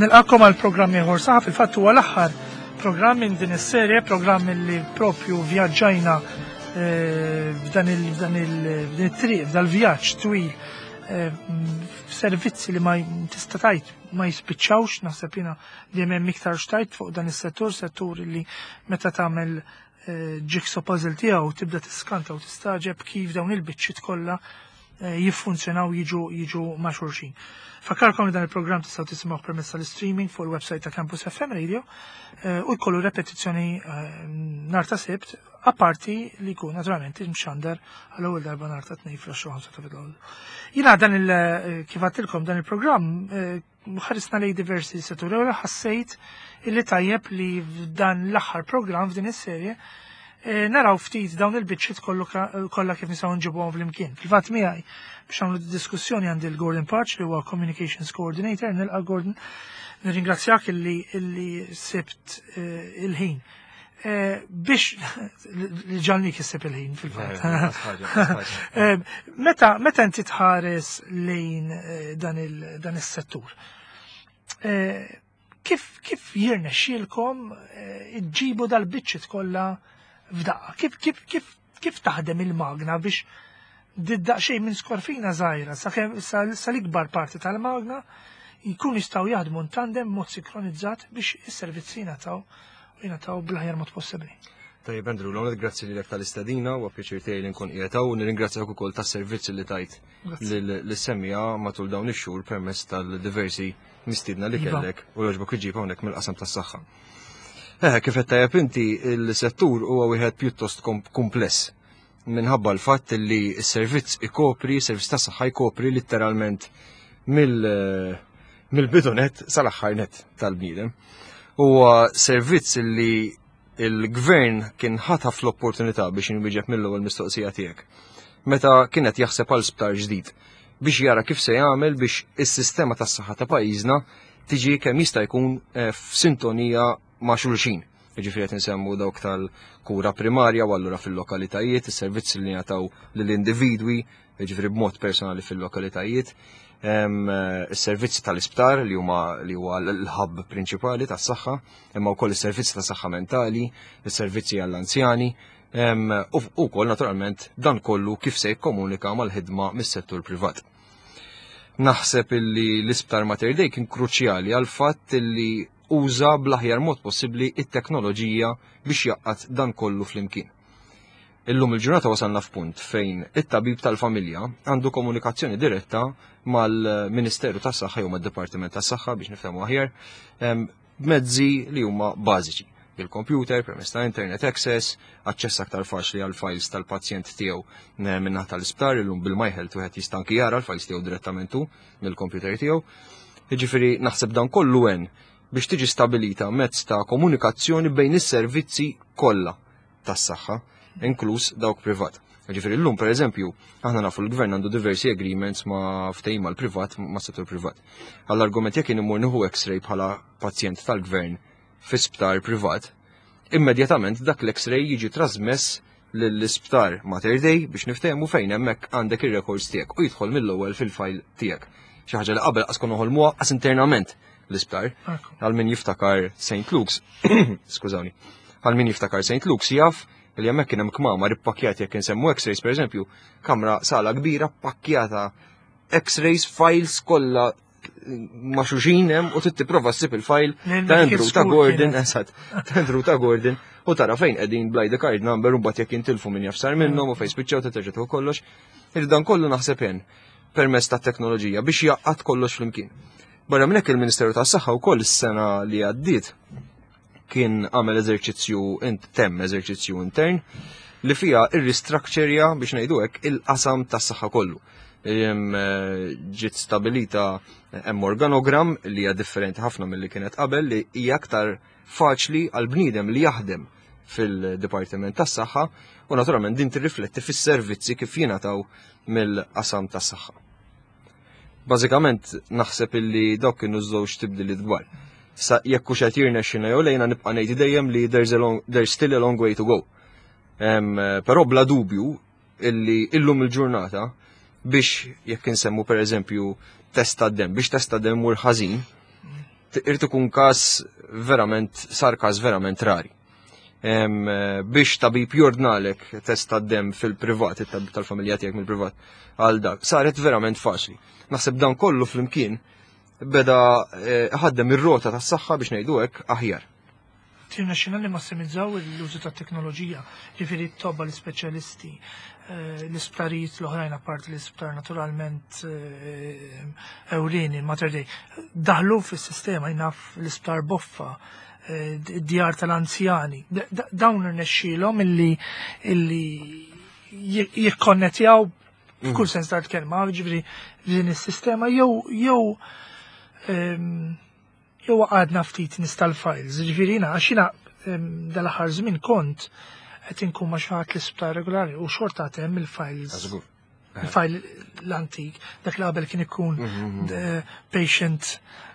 Nilqakom għal programm ieħor saħ fil-fatt huwa l-aħħar programm minn din is-serje, programm li propju vjaġġajna eh, f'dan il-triq, f'dal-vjaġġ twil eh, f'servizzi li ma tista' tajt ma jispiċċawx, naħseb jiena dejjem hemm iktar xtajt fuq dan is-settur, settur li meta tagħmel eh, jigsaw puzzle tiegħu tibda tiskanta u tistaġeb kif dawn il-biċċiet kollha eh, jiffunzjonaw jiġu jiġu ma' xulxin. Fakkarkom li dan il-programm tistgħu tisimgħu permezz tal-streaming fuq il-website ta' Campus FM Radio eh, u jkollu repetizzjoni eh, nhar ta' Sibt apparti li jkun naturalment imxandar għall-ewwel darba nhar ta' Tnejn fl-10 ta' filgħodu. Jiena dan il kif għedtilkom dan il-programm ħarisna lej diversi setturi u ħassejt illi tajjeb li f'dan l-aħħar programm f'din is-serje eh, naraw ftit dawn il-biċċiet kollha kif nistgħu nġibuhom flimkien. Fil-fatt miegħi biex nagħmlu diskussjoni għandi l-Gordon Patch li huwa Communications Coordinator, nilqa' Gordon, nirringrazzjak illi illi sibt eh, il-ħin. Eh, biex li ġalni issib il-ħin fil-fatt. Meta meta inti tħares lejn dan il dan is-settur, kif kif jirnexxielkom iġġibu dal-biċċiet kollha f'daqqa? Kif kif kif kif taħdem il-magna biex daqsxejn minn skorfina żgħira sal-ikbar parti tal-magna jkun jistgħu jaħdmu tandem mod sinkronizzat biex is-servizzi jingħataw u jingħataw bl-aħjar mod possibbli. Tajjeb Andrew, l-għonet grazzi li tal-istedina u pjaċir tiegħi li nkun qiegħed hawn u nirringrazzjak ukoll tas-servizzi li tajt lis-semmiegħa matul dawn ix-xhur permezz tal-diversi mistiedna li kellek u jogħġbok iġib hawnhekk mill-qasam tas-saħħa. Eh, kif qed tajjeb inti il-settur huwa wieħed pjuttost kumpless minħabba l-fatt li s-servizz ikopri, servizz tas-saħħa jkopri letteralment mill mill-bidu net sal-aħħar net tal-bniedem. Huwa servizz li il-gvern kien ħataf l-opportunità biex inwieġeb mill-ewwel mistoqsija tiegħek. Meta kienet jaħseb għal sptar ġdid biex jara kif se jagħmel biex is-sistema tas-saħħa ta' pajjiżna tiġi kemm jista' jkun eh, f'sintonija ma' xulxin. Jiġifieri qed insemmu dawk tal-kura primarja u allura fil-lokalitajiet, is-servizzi li jingħataw lill-individwi, jiġifieri b'mod personali fil-lokalitajiet, is-servizzi tal-isptar li huma li huwa l-hub prinċipali tas-saħħa, imma wkoll is-servizzi ta' saħħa mentali, is-servizzi għall-anzjani, u wkoll naturalment dan kollu kif se jikkomunika mal-ħidma mis-settur privat. Naħseb illi l-isptar Mater Dei kien kruċjali għal fatt illi uża bl-aħjar mod possibbli it-teknoloġija biex jgħaqqad dan kollu flimkien. Illum il-ġurnata wasalna f'punt fejn it-tabib tal-familja għandu komunikazzjoni diretta mal-Ministeru tas-Saħħa jew mad-Dipartiment tas-Saħħa biex nifhmu aħjar b'mezzi li huma bażiċi. Il-computer, permezz ta' internet access, aċċess aktar faċli għal files tal-pazjent tiegħu minnaħa tal-isptar, illum bil-MyHealth wieħed jista' anki jara l-files tiegħu direttament hu mill-computer tiegħu. Jiġifieri naħseb dan kollu għen biex tiġi stabilita mezz ta' komunikazzjoni bejn is-servizzi kollha tas-saħħa, inkluż dawk privat. Ġifieri llum pereżempju, aħna nafu l-gvern għandu diversi agreements ma' ftehim mal-privat, ma' settur privat. Għall-argument jekk jien immur nieħu x-ray bħala pazjent tal-gvern fi sptar privat, immedjatament dak l-x-ray jiġi trasmess lill-isptar Mater Dei biex niftehmu fejn hemmhekk għandek ir-records tiegħek u jidħol mill-ewwel fil-file tiegħek. Xi ħaġa li qabel qas konna noħolmuha qas internament l-isptar. Għal min jiftakar St. Luke's, skużawni, għal min jiftakar St. Luke's jaf li hemmhekk kien hemm kmamar ippakkjati jekk insemmu x-rays pereżempju, kamra sala kbira pakkjata x-rays, files kollha ma' xulxin hemm u trid tipprova ssib il-file ta' Andrew ta' Gordon, eżatt, ta' Andrew ta' Gordon u tara fejn qegħdin bl-ID card number u mbagħad jekk jintilfu min jaf sar minnhom u fejn spiċċaw terġa' tieħu kollox. Dan kollu naħseb hemm permezz ta' teknoloġija biex jgħaqqad kollox flimkien. Barra minn hekk il-Ministeru tas-Saħħa wkoll is-sena li għaddiet kien għamel eżerċizzju temm eżerċizzju intern li fija irristructurja biex ngħidu hekk il-qasam tas-saħħa kollu. Eh, ġiet stabilita eh, hemm organogram li hija differenti ħafna milli kienet qabel li hija aktar faċli għal bniedem li jaħdem fil-Dipartiment tas-Saħħa u naturalment din tirrifletti fis-servizzi kif jingħataw mill-qasam tas-saħħa. Bażikament naħseb illi dawk kienu żewġ tibdiliet kbar. Sa jekk hux qed jirnexxina jew lejna nibqa' ngħid dejjem li there's, a long, there's still a long way to go. Um, però bla dubju illi illum il-ġurnata biex jekk insemmu per eżempju test tad-dem, biex test tad-dem mur ħażin, Irid ikun każ verament, sar każ verament rari. Biex tabib jordnalek test tad-demm fil-privat, it-tabib tal-familja tiegħek mill-privat għal dak, saret verament faċli. Naħseb dan kollu flimkien beda eh, ħaddem ir-rota tas-saħħa biex ngħidu hekk aħjar. Tirnexxina li massimizzaw l-użu tat-teknoloġija, ġifieri t-tobba l-ispeċjalisti, eh, l-isptarijiet l-oħrajn apparti l-isptar naturalment eh, ewlieni, Mater Dei, daħlu fis-sistema jnaf l-isptar Boffa, eh, id-djar tal-anzjani. Dawn irnexxielhom illi illi jikkonnettjaw f'kull sens tal-kelma, ġifieri din is-sistema jew jew ehm, Jew għadna ftit nies tal-files, ġifieri jiena għax jiena dal-aħħar żmien kont qed inkun ma' xi ħadd l-isptar regolari u xorta għad hemm il-files. Ah, żgur. Il-file l-antik, dak li qabel kien ikun mhm, mhm. patient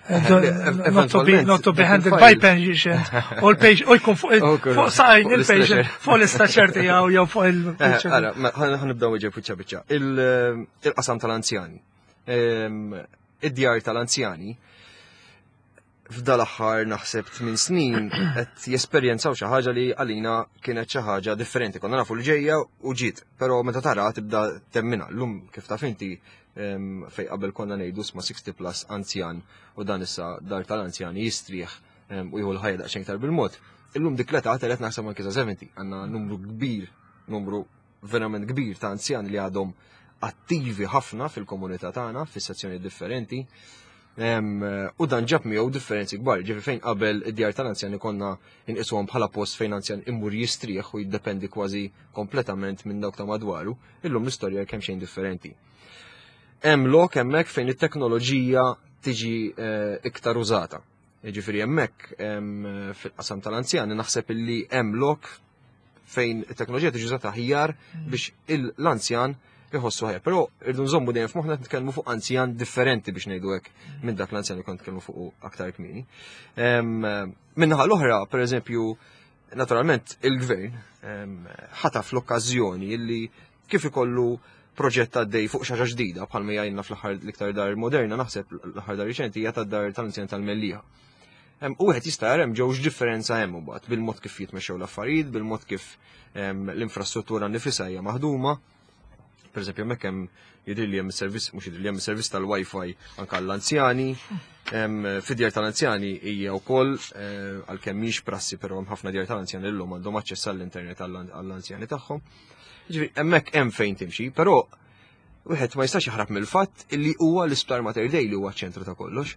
eh, eh, not to be not to be handled by patient u l-patient u jkun fuq fuq saqajn il-patient fuq l-istaċer tiegħu jew fuq il eh, Ara, ħanibdew iġeb biċċa biċċa. Il-qasam tal-anzjani. Id-djar tal-anzjani f'dal-aħħar naħseb 8 snin qed jesperjenzaw xi ħaġa li għalina kienet xi ħaġa differenti. Konna nafu li ġejja u ġiet, però meta tara tibda temmina. Llum kif taf inti fej qabel konna ngħidu sma 60 plus anzjan u dan issa dar tal-anzjani jistrieħ u jieħu l-ħajja daqsxejn iktar bil-mod. Illum dik l-età telet naħseb anke sa 70, għandna numru kbir, numru verament kbir ta' anzjani li għadhom attivi ħafna fil-komunità tagħna, fis-sezzjoni differenti. U dan ġab miegħu differenzi kbar, ġifi fejn qabel id-djar tal-anzjani konna inqisuhom bħala post fejn anzjan imur jistrieħ u jiddependi kważi kompletament minn dawk ta' madwaru, illum l-istorja kemm xejn differenti. Hemm lok hemmhekk fejn it-teknoloġija tiġi eh, iktar użata. Jiġifieri hemmhekk fil-qasam tal-anzjani naħseb illi hemm lok fejn it-teknoloġija tiġi użata aħjar mm. biex l-anzjan iħossu ħajja. Però irdu nżommu dejjem f'moħħna nitkellmu fuq anzjan differenti biex ngħidu hekk minn dak l-anzjan li kont nitkellmu fuq aktar kmieni. Minnaħa l-oħra, pereżempju, naturalment il-gvern ħataf l-okkażjoni illi kif ikollu proġett għaddej fuq xaġa ġdida bħalma jgħinna fl-aħħar l-iktar dar moderna naħseb l-aħħar dar riċenti hija tad-dar tal-anzjan tal-Mellieħa. U wieħed jista' jara hemm ġewx differenza hemm imbagħad bil-mod kif jitmexxew l-affarijiet, bil-mod kif l-infrastruttura nifisha hija maħduma. Per eżempju, hemmhekk hemm jidhir li hemm servizz, mhux jidhir li hemm servizz tal-Wi-Fi anke għall-anzjani. Fid-djar tal-anzjani hija wkoll eh, għalkemm mhix prassi però hemm ħafna djar tal-anzjani llum għandhom aċċess għall-internet għall-anzjani tagħhom. Ġifieri hemmhekk hemm fejn timxi, però wieħed ma jistax jaħrab mill-fatt illi huwa l-Isptar Mater Dei li huwa ċ-ċentru ta' kollox.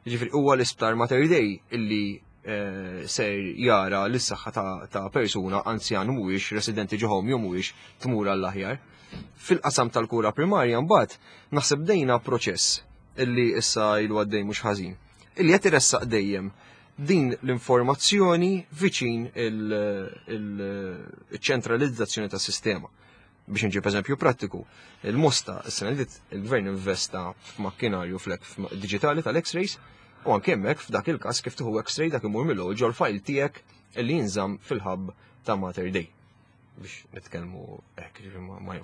Ġifieri huwa l-Isptar Mater Dei illi eh, ser jara l-saħħa ta' persuna anzjan mhuwiex residenti ġoħom jew mhuwiex tmur għall-aħjar. Fil-qasam tal-kura primarja mbagħad naħseb dejna proċess illi issa ilu għaddej mhux ħażin. Illi qed iressaq dejjem din l-informazzjoni viċin il-ċentralizzazzjoni tas sistema. Biex nġib eżempju prattiku, il-Mosta s-sena li il-gvern investa f'makkinarju flek digitali tal-X-rays u anke hemmhekk f'dak il-każ kif tieħu X-ray dak imur mill-ewwel ġol-file tiegħek li jinżamm fil-hub ta' Mater Dei. biex nitkellmu hekk,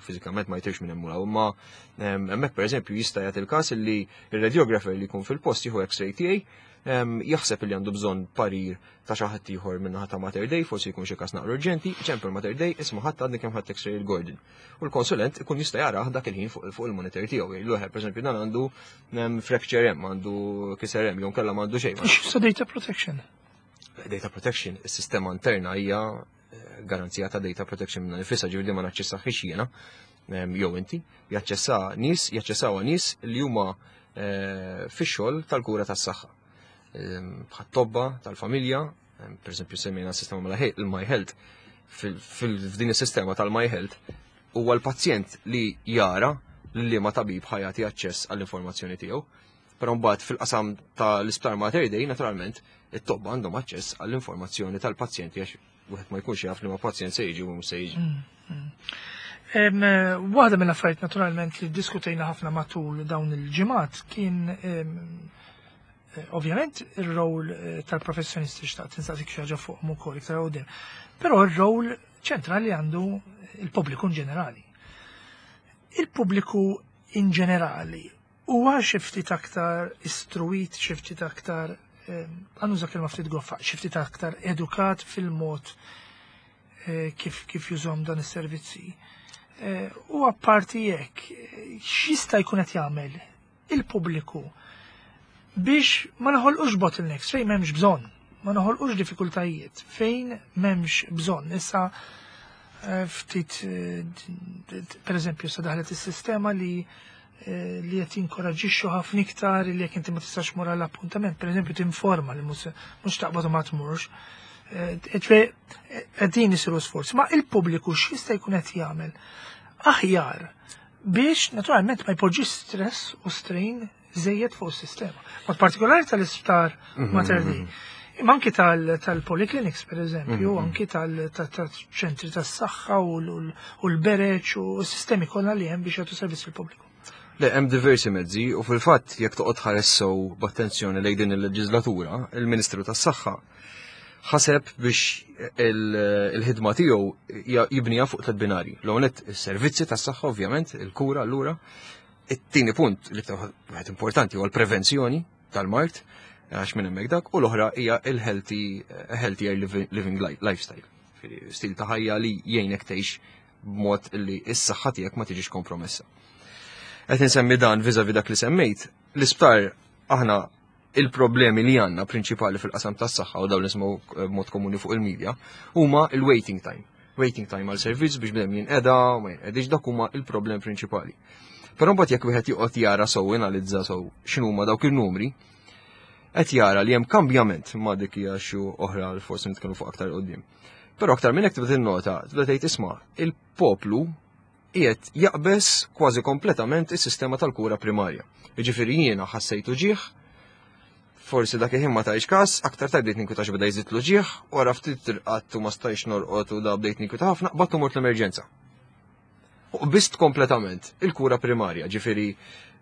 fiżikament ma jtirx minn hemm imma hemmhekk pereżempju jista' jagħti il-każ li r-radiografer li jkun fil-post jieħu x-ray tiegħi jaħseb li għandu bżonn parir ta' xi ħadd ieħor minn ta' Mater Dei, forsi jkun xi każ naqra urġenti, ċempel Mater Dei, isma' ħadd għadni kemm ħadd x-ray il-Gordon. U l-konsulent ikun jista' jarah dak il-ħin fuq il-monitor tiegħu. Jgħidlu pereżempju dan għandu fracture hemm, għandu kiser hemm, jew kellha m'għandu xejn. X'sa data protection? Data protection, is-sistema interna hija garanzija ta' data protection minna nifisha, ġifieri ma naċċessaħiex jiena jew inti, jaċċessa nies, jaċċessaw nies li huma eh, fix-xogħol tal-kura tas-saħħa. Bħat-tobba tal-familja, pereżempju semmejna s-sistema mela il-My Health, f'din is-sistema tal-My Health huwa l-pazjent li jara li ma tabib ħajati aċċess għall-informazzjoni tiegħu. Però mbagħad fil-qasam tal-isptar Mater Dei, naturalment, it-tobba għandhom aċċess għall-informazzjoni tal-pazjenti għax wieħed ma jkunx jaf li ma pazjent se jiġi u mhux se jiġi. Mm, mm. Waħda mill-affarijiet naturalment li diskutejna ħafna matul dawn il-ġimgħat kien eh, ovvjament ir-rol eh, tal-professjonisti xtaqt insaqsik xi ħaġa fuqhom ukoll iktar qudiem. Però r-rol ċentrali għandu il-pubbliku in ġenerali. Il-pubbliku in ġenerali huwa xi ftit aktar istruit, xi ftit aktar Għannuża kelma ftit goffa, xi ftit aktar edukat fil-mod eh, kif kif jużhom dan is-servizzi. Eh, u apparti jekk, x'jista' jkun qed jagħmel il-pubbliku biex ma naħolqux bottlenecks fejn m'hemmx bżonn, ma naħolqux diffikultajiet fejn m'hemmx bżonn. Issa eh, ftit per eżempju sa daħlet is-sistema li Eh, li qed jinkoraġġixxu ħafna iktar li jekk inti ma tistax mur għall appuntament, pereżempju tinforma li mhux taqbad u ma tmurx. Eh, qegħdin isiru sforzi, ma il-pubbliku x'jista' jkun qed jagħmel aħjar biex naturalment ma jpoġġix stress u strain żejjed fuq is-sistema. Mod partikolari tal-isptar mhm, Mater Dei. Mhm. Imma anki tal-polyclinics, per eżempju, mhm. anki tal-ċentri tas-saħħa u l-bereċ u s-sistemi kollha li hemm biex jagħtu servizz il-pubbliku. Le, hemm diversi mezzi u fil-fatt jekk toqgħod ħares sew b'attenzjoni lejn din il-leġislatura, il-Ministru tas-Saħħa ħaseb biex il-ħidma tiegħu jibniha fuq tliet binari. L-ewwel is-servizzi tas-saħħa ovvjament, il-kura allura. It-tieni punt li wieħed importanti huwa l-prevenzjoni tal-mard, għax minn hemmhekk dak, u l-oħra hija il-healthy healthier living lifestyle. Stil ta' ħajja li jgħinek tgħix b'mod li s-saħħa tiegħek ma tiġix kompromessa. Qed insemmi dan viżavi dak li semmejt, l-isptar aħna il-problemi li għandna prinċipali fil-qasam tas-saħħa u dawn nisimgħu eh, b'mod komuni fuq il-medja huma il-waiting time. Waiting time għal servizz biex bnedem jinqeda, ma jinqedix dak huma il-problem prinċipali. Però mbagħad jekk wieħed joqgħod jara sew analizza sew x'inhuma dawk il-numri, qed jara li hemm kambjament ma' dik hija xi oħra li forsi nitkellmu fuq aktar qudiem. Però aktar minn hekk tibda tinnota, tibda tgħid isma' il-poplu qiegħed jaqbeż kważi kompletament is-sistema tal-kura primarja. Jiġifieri jiena ħassejtu ġieħ, forsi dak il-ħin ma tajx każ, aktar tard bdejt ninkwita beda jżid l-ġieħ, wara ftit irqadt u ma stajx norqod u da bdejt ninkwita ħafna, qbadt u mort l-emerġenza. U qbist kompletament il-kura primarja, ġifieri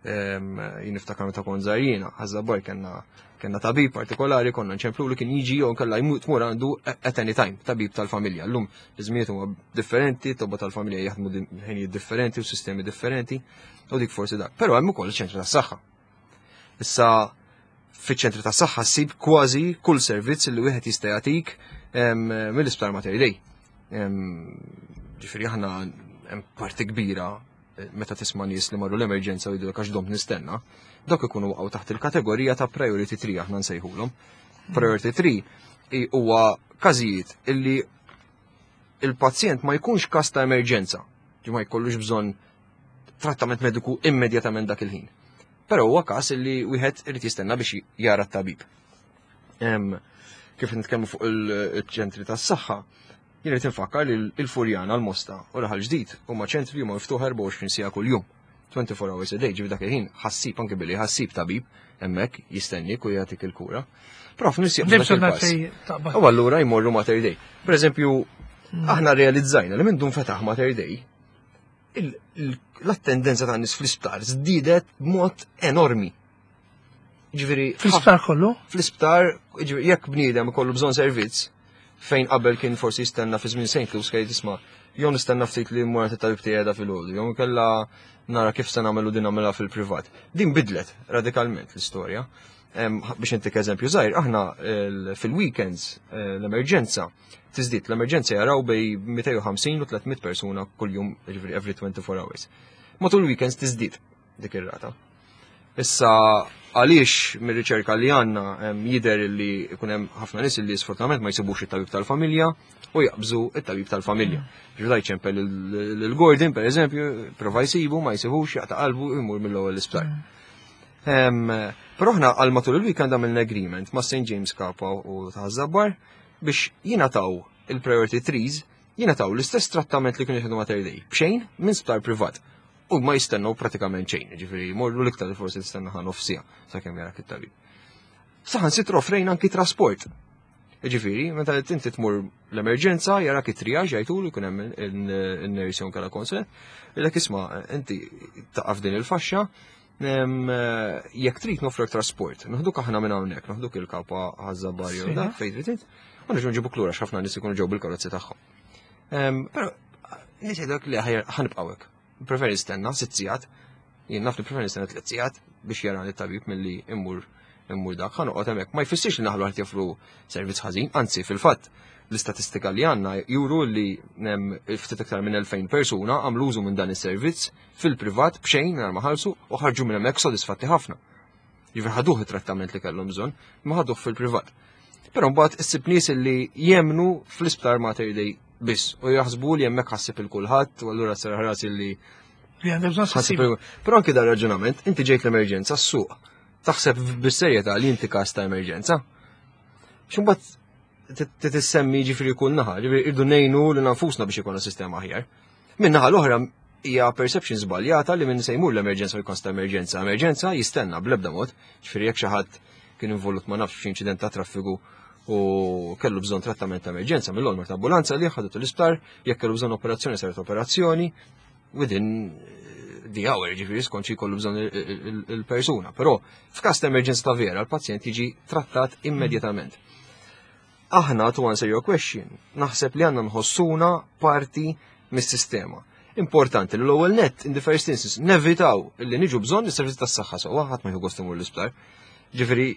jien niftakar meta kont żgħir jiena, ħażabbar kellna kellna tabib partikolari konna nċemplu li kien jiġi jew kellha jmut tmur għandu at any time, tabib tal-familja. Llum iż-żmijiet huma differenti, tobba tal-familja jaħdmu ħinijiet differenti u sistemi differenti, u dik forsi dak. Però hemm ukoll iċ-ċentru tas-saħħa. Issa fiċ-ċentru tas-saħħa ssib kważi kull servizz li wieħed jista' jagħtik mill-isptar Mater Dei. Ġifieri aħna hemm parti kbira eh, meta tisma' nies li marru l-emerġenza u jgħidulek għax domt nistenna, dawk ikunu waqgħu taħt il-kategorija ta' priority 3 aħna nsejħulhom. Priority 3 huwa każijiet illi il-pazjent ma jkunx każ ta' emerġenza, ġi ma jkollux bżonn trattament mediku immedjatament dak il-ħin. Però huwa każ li wieħed irid jistenna biex jara t-tabib. Kif nitkellmu fuq il-ċentri tas-saħħa, jien irid infakkar li l-Furjana, l-Mosta u Raħal Ġdid huma ċentri li huma miftuħa 24 siegħa kuljum. 24 hours a day, ġifi dak il-ħin ħassib anke billi ħassib tabib hemmhekk jistennik u jagħtik il-kura. Però f'nies jaqbdu dak il-pass. U allura jmorru Mater Dei. Per eżempju, hmm. aħna realizzajna li minn dun fetaħ Mater Dei, l-attendenza ta' nies fl-isptar żdiedet b'mod enormi. Ġifieri fl-isptar kollu? Fl-isptar, ġifieri jekk bniedem ikollu bżonn servizz fejn qabel kien forsi jistenna fi żmien St. Luke's kien jisma' jew nistenna ftit li mmur tabib tiegħi fil-ħodu, jew kella nara kif se nagħmlu din nagħmilha fil-privat. Din bidlet radikalment l-istorja. Biex intik eżempju żgħir, aħna fil-weekends eh, l-emerġenza tiżdied l-emerġenza jaraw bej 250 u 300 persuna kuljum, ġifieri every 24 hours. Matul weekends tiżdied dik ir-rata. Issa għaliex mir-riċerka li għandna jidher li jkun hemm ħafna nies li sfortunatament ma jsibux it-tabib tal-familja u jaqbżu it-tabib tal-familja. Ġudaj ċempel l-Gordon, per eżempju, prova jsibu, ma jsibux, jaqta' qalbu jmur mill-ewwel l-isptar. Mm. Però aħna għal matul il-weekend għamilna agreement ma' St. James Kapa u ta' Zabbar biex jingħataw il-priority trees jingħataw l-istess trattament li kienu jieħdu Mater Dei, b'xejn minn sptar privat. U ma jistennew pratikament xejn, ġifieri jmorru l-iktar li forsi tistenna ħa nofsija sakemm jarak it-tabib. Saħan sitra offrejna anki trasport. Ġifieri, meta inti tmur l-emerġenza, jarak it-triaġ jgħidulu jkun hemm in-nurse jew kella konsulent, jgħidlek isma' inti taqaf din il-faxxa, jekk trid nofrek trasport, naħduk aħna minn hawnhekk, naħduk il-kapa ħażabar jew dak fejn trid int, u nerġgħu nġibuk lura x'ħafna nies ikunu ġew bil-karozzi tagħhom. Però nies jgħidulek li ħanibqgħu hekk. Preferi nistenna sitt sigħat, jien naf li preferi nistenna tliet sigħat biex jarani t-tabib milli immur immur dak, ħa noqgħod hemmhekk. Ma jfissirx li naħlu qed joffru servizz ħażin, anzi fil-fatt l-istatistika li għandna juru li ftit iktar minn 2000 persuna għamlu użu minn dan is-servizz fil-privat b'xejn mingħajr ma ħallsu u ħarġu minn hemmhekk sodisfatti ħafna. Jiġifieri ħaduh it-trattament li kellhom bżonn, ma ħaduh fil-privat. Però mbagħad issib nies li jemnu fl-isptar Mater Dei biss u jaħsbu li hemmhekk ħassib il kulħadd u allura serraħ rasi li li għandek bżonn ħassib. Però anki dar raġunament, inti ġejt l-emerġenza s-suq. Taħseb bis-serjetà li inti każ ta' emerġenza. X'imbagħad titissemmi ġifieri kull naħa, ġifieri irdu ngħinu lil nfusna biex ikollna sistema aħjar. Min naħa l-oħra hija perception żbaljata li minn se jmur l-emerġenza u jkun ta' emerġenza. Emerġenza jistenna bl-ebda mod, ġifieri jekk xi ħadd kien involut ma nafx f'inċident ta' traffiku u kellu bżonn trattament ta' emerġenza mill-ewwel ta' ambulanza li ħadet l-isptar, jekk kellu bżonn operazzjoni saret operazzjoni within the hour, ġifieri skont xi jkollu bżonn il-persuna. Però f'każ ta' emerġenza ta' vera, l-pazjent jiġi trattat immedjatament. Aħna, to answer your question, naħseb li għandna nħossuna parti mis-sistema. Importanti li l-ewwel net, in the first instance, nevitaw li niġu bżonn is-servizzi tas-saħħa sewwa ħadd ma jieħu gost imur l-isptar. Ġifieri,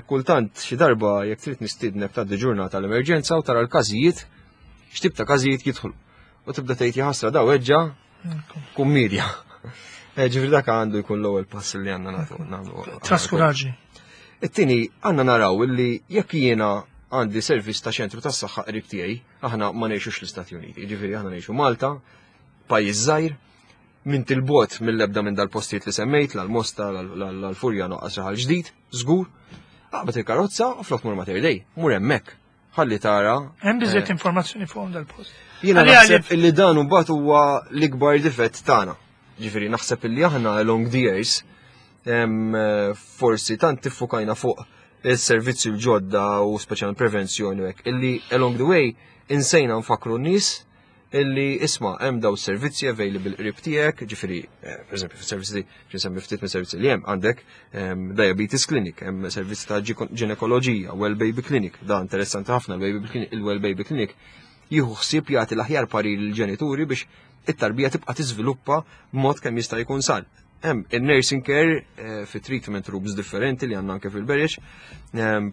kultant xi darba jekk trid nistiednek tgħaddi ġurnata l-emerġenza u tara l-każijiet, x'tip ta' każijiet jidħlu. U tibda tgħid jaħasra daw weġġa kummedja. Ġifieri dak għandu jkun l-ewwel pass li għandna nagħtu nagħmlu. Traskuraġni. It-tieni għandna naraw illi jekk jiena għandi servizz ta' ċentru tas-saħħa qrib tiegħi, aħna ma ngħixux l-Istati Uniti, ġifieri aħna ngħixu Malta, pajjiż żgħir, minn tilbot mill-ebda minn dal-postijiet li semmejt, l-Mosta, l-Furjana, noqqas raħal ġdid, żgur. Aqbad il-karozza u flok mur Mater Dei, mur hemmhekk. Ħalli tara. Hemm biżżejjed informazzjoni fuqhom dal-post. Jiena naħseb illi dan mbagħad huwa l-ikbar difett tagħna. Ġifieri naħseb illi aħna along the years forsi tant tiffukajna fuq il-servizzi l-ġodda u speċjalment prevenzjoni u hekk, illi along the way insejna nfakru n-nies illi isma' hemm daw servizzi available qrib tiegħek, ġifieri, pereżempju fis-servizzi, nsemmi ftit minn servizzi li hemm għandek diabetes clinic, hemm servizzi ta' ġinekoloġija, well baby clinic, da interessanti ħafna il-well baby clinic jieħu ħsieb jagħti l-aħjar parir lill-ġenituri biex it-tarbija tibqa' tiżviluppa b'mod kemm jista' jkun san. Hemm il-nursing care fi treatment rooms differenti li għandna anke fil-Berġ,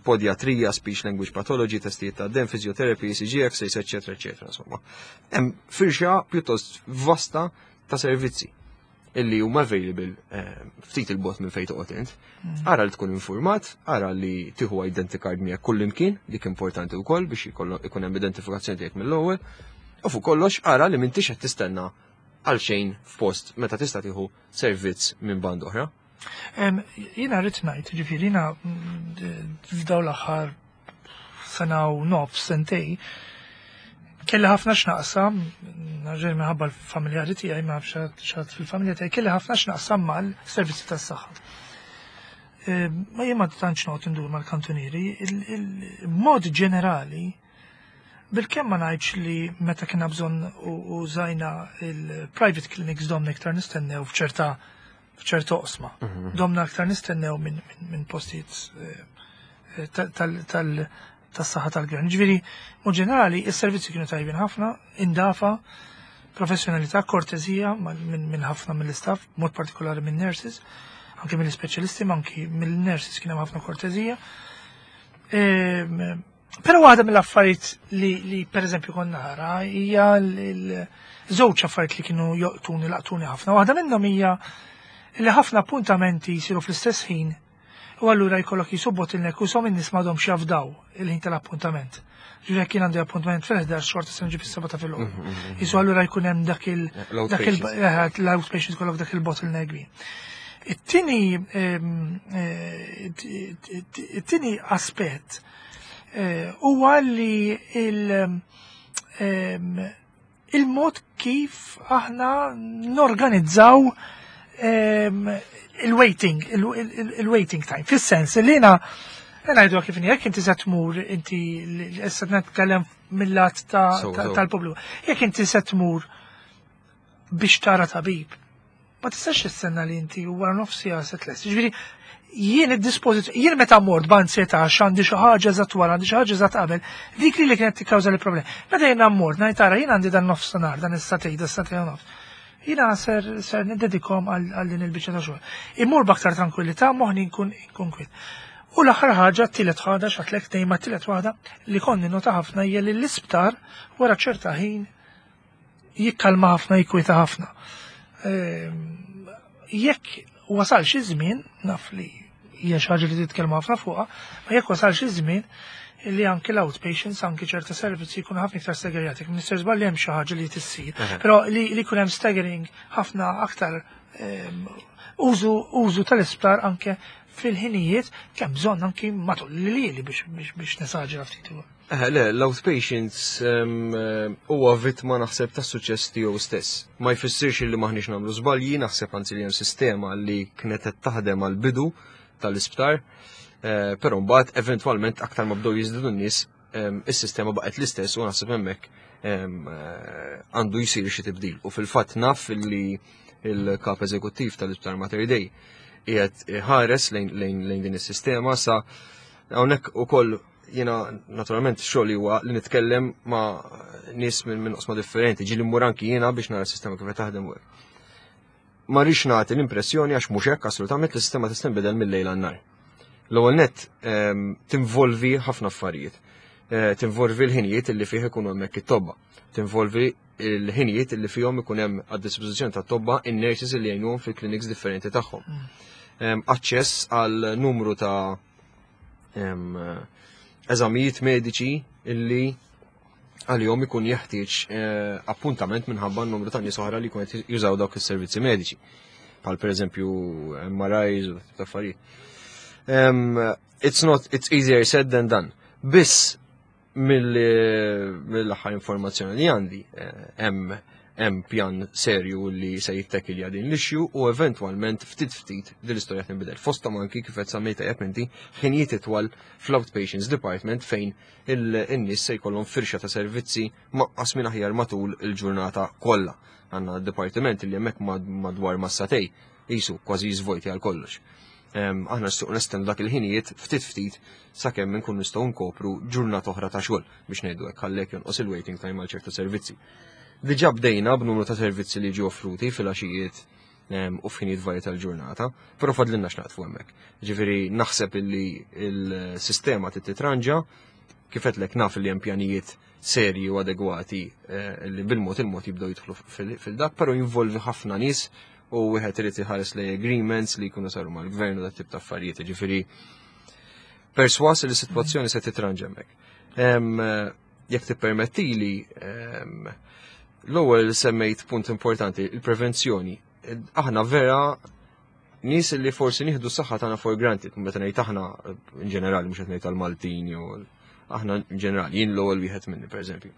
podiatrija, speech language pathology, testijiet ta' dem, physiotherapy, ECG, X-rays, eccetera, eccetera, insomma. Hemm firxa pjuttost vasta ta' servizzi illi huma available ftit il-bot minn fejn toqgħod int. Ara li tkun informat, ara li tieħu identity card miegħek kull imkien, dik importanti wkoll biex ikun hemm identifikazzjoni tiegħek mill-ewwel. U fuq kollox ara li m'intix qed tistenna għal xejn f'post meta tista' tieħu servizz minn band oħra. Jiena rrid ngħid, ġifieri jiena f'dawn l-aħħar sena u nofs, sentej, kelli ħafna x'naqsam, narġej minħabba l-familjari tiegħi, ma nafx x'għad fil-familja tiegħi, kelli ħafna x'naqsam mal-servizzi tas-saħħa. Ma jien ma tantx noqgħod indur mal-kantunieri, il-mod ġenerali, bil-kemm ma ngħidx li meta kien bżonn użajna il-private clinics domna iktar nistennew f'ċerta oqsma. Domna aktar nistennew minn postijiet tas-saħħa tal-gvern. Ġifieri, mod ġenerali, is-servizzi kienu tajbin ħafna, indafa, professjonalità, kortezija minn ħafna mill-istaff, mod partikolari minn nurses, anke mill-ispeċjalisti, ma anki mill-nurses kien hemm ħafna kortezija. Però waħda mill-affarijiet li per eżempju konna nara hija żewġ affarijiet li kienu joqtuni, laqtuni ħafna. Waħda minnhom hija li ħafna appuntamenti jsiru fl-istess ħin u allura jkollok jisu bottleneck u som in-nies m'għadhomx jafdaw il-ħin tal-appuntament. Ġifieri jekk jien għandi appuntament fil-11 xorta se nġib is-7 ta' filgħodu. Jisu allura jkun hemm dak il- dak il- L-outpatients. L-outpatients kollok dak il-bottleneck kbir. It-tieni aspett huwa li il-mod kif aħna norganizzaw il-waiting time. Fis-sens li jiena ngħidu kif jekk inti se tmur inti issa nitkellem mill-lat tal-pubbliku. Jekk inti se tmur biex tara tabib, ma tistax tistenna li inti wara nofs siegħa se tlest. Ġifieri jien id-dispożizzjoni, jien meta mort b'ansjetà għax għandi xi ħaġa eżatt wara, għandi xi ħaġa eżatt qabel, dik li kienet tikkawża li problemi. Meta jiena mort ngħid tara jien għandi dan nofsinhar, dan is-sagħtejn, dan is-sagħtejn u nofs. Jiena ser ser niddedikhom għal din il-biċċa ta' xogħol. Immur b'aktar tranquillità, moħħni nkun nkun kwiet. U l-aħħar ħaġa, t-tielet ħaġa, x'għedtlek tnejn ma t-tielet waħda li konni nota ħafna hija li l-isptar wara ċerta ħin jikkalma ħafna, jikwieta ħafna. Jekk wasal xi żmien, naf li hija xi ħaġa li titkellmu ħafna fuqha, ma jekk wasal xi żmien li anki l-outpatients, anki ċerta servizzi jkunu ħafna iktar staggerjati. Mister żball hemm xi ħaġa li tissir, però li jkun hemm staggering ħafna aktar użu użu tal-isptar anke fil-ħinijiet kemm bżonn anki matul li biex nesaġera ftit ukoll. Le, l-outpatients huwa vittma naħseb tas suċċess tiegħu stess. Ma jfissirx li maħniex nagħmlu żbalji, naħseb anzi li hemm sistema li kienet qed taħdem għal bidu tal-isptar, però mbagħad eventwalment aktar ma bdew jiżdiedu n-nies, is-sistema baqgħet l-istess u naħseb hemmhekk għandu jsir xi tibdil. U fil-fatt naf li il-kap eżekuttiv tal-Isptar Mater Dei qiegħed ħares lejn din is-sistema sa hawnhekk ukoll. Jiena naturalment xogħli huwa li nitkellem ma' nies minn oqsma differenti, ġieli mmur anki jiena biex nara s-sistema kif qed taħdem u hekk. Ma rridx nagħti l-impressjoni għax mhux hekk assolutament li s-sistema tista' tinbidel mill-lejl għan-nhar. L-ewwel nett tinvolvi ħafna affarijiet. Tinvolvi l-ħinijiet li fih ikunu hemmhekk it-tobba. Tinvolvi l-ħinijiet li fihom ikun hemm għad-dispożizzjoni tat-tobba in-nurses li jgħinuhom fil-clinics differenti tagħhom. Aċċess għal numru ta' eżamijiet mediċi illi għalihom ikun jeħtieġ appuntament minħabba n-numru ta' nies oħra li jkun qed jużaw dawk is-servizzi mediċi. Bħal pereżempju MRIs u ta' affarijiet. It's not, it's easier said than done. Biss mill-aħħar informazzjoni li għandi hemm pjan serju li se jittekilja din l-issue u eventwalment ftit ftit din l-istorja tinbidel. Fosthom anki kif qed semmejta jekk inti ħinijiet itwal fl-outpatients department fejn in-nies se jkollhom firxa ta' servizzi maqqas minn aħjar matul il-ġurnata kollha. Għandna dipartiment li hemmhekk madwar massatej jisu kważi jiżvojti għal kollox. Aħna nistgħu nestendu dak il-ħinijiet ftit ftit sakemm inkun nistgħu nkopru ġurnata oħra ta' xogħol biex ngħidu hekk ħallek jonqos il-waiting time għal ċertu servizzi. Diġà bdejna b'numru ta' servizzi li ġew offruti fil-għaxijiet u f'ħinijiet varji tal-ġurnata, però fadlilna x'naqtfu hemmhekk. Ġifieri naħseb illi il-sistema trid titranġa, kif qedlek naf li hemm pjanijiet serji u adegwati li bil-mod il-mod jibdew jidħlu fil-dak, però jinvolvi ħafna nies u wieħed irid iħares lej agreements li jkunu saru mal-gvern u dat tip ta' affarijiet, ġifieri perswas li s-sitwazzjoni se titranġa hemmhekk. Jekk tippermettili, l-ewwel semmejt punt importanti, il-prevenzjoni. Aħna vera nies li forsi nieħdu s-saħħa tagħna for granted, meta ngħid aħna in ġenerali mhux qed ngħid tal-Maltin jew aħna in ġenerali, jien l-ewwel wieħed minni pereżempju.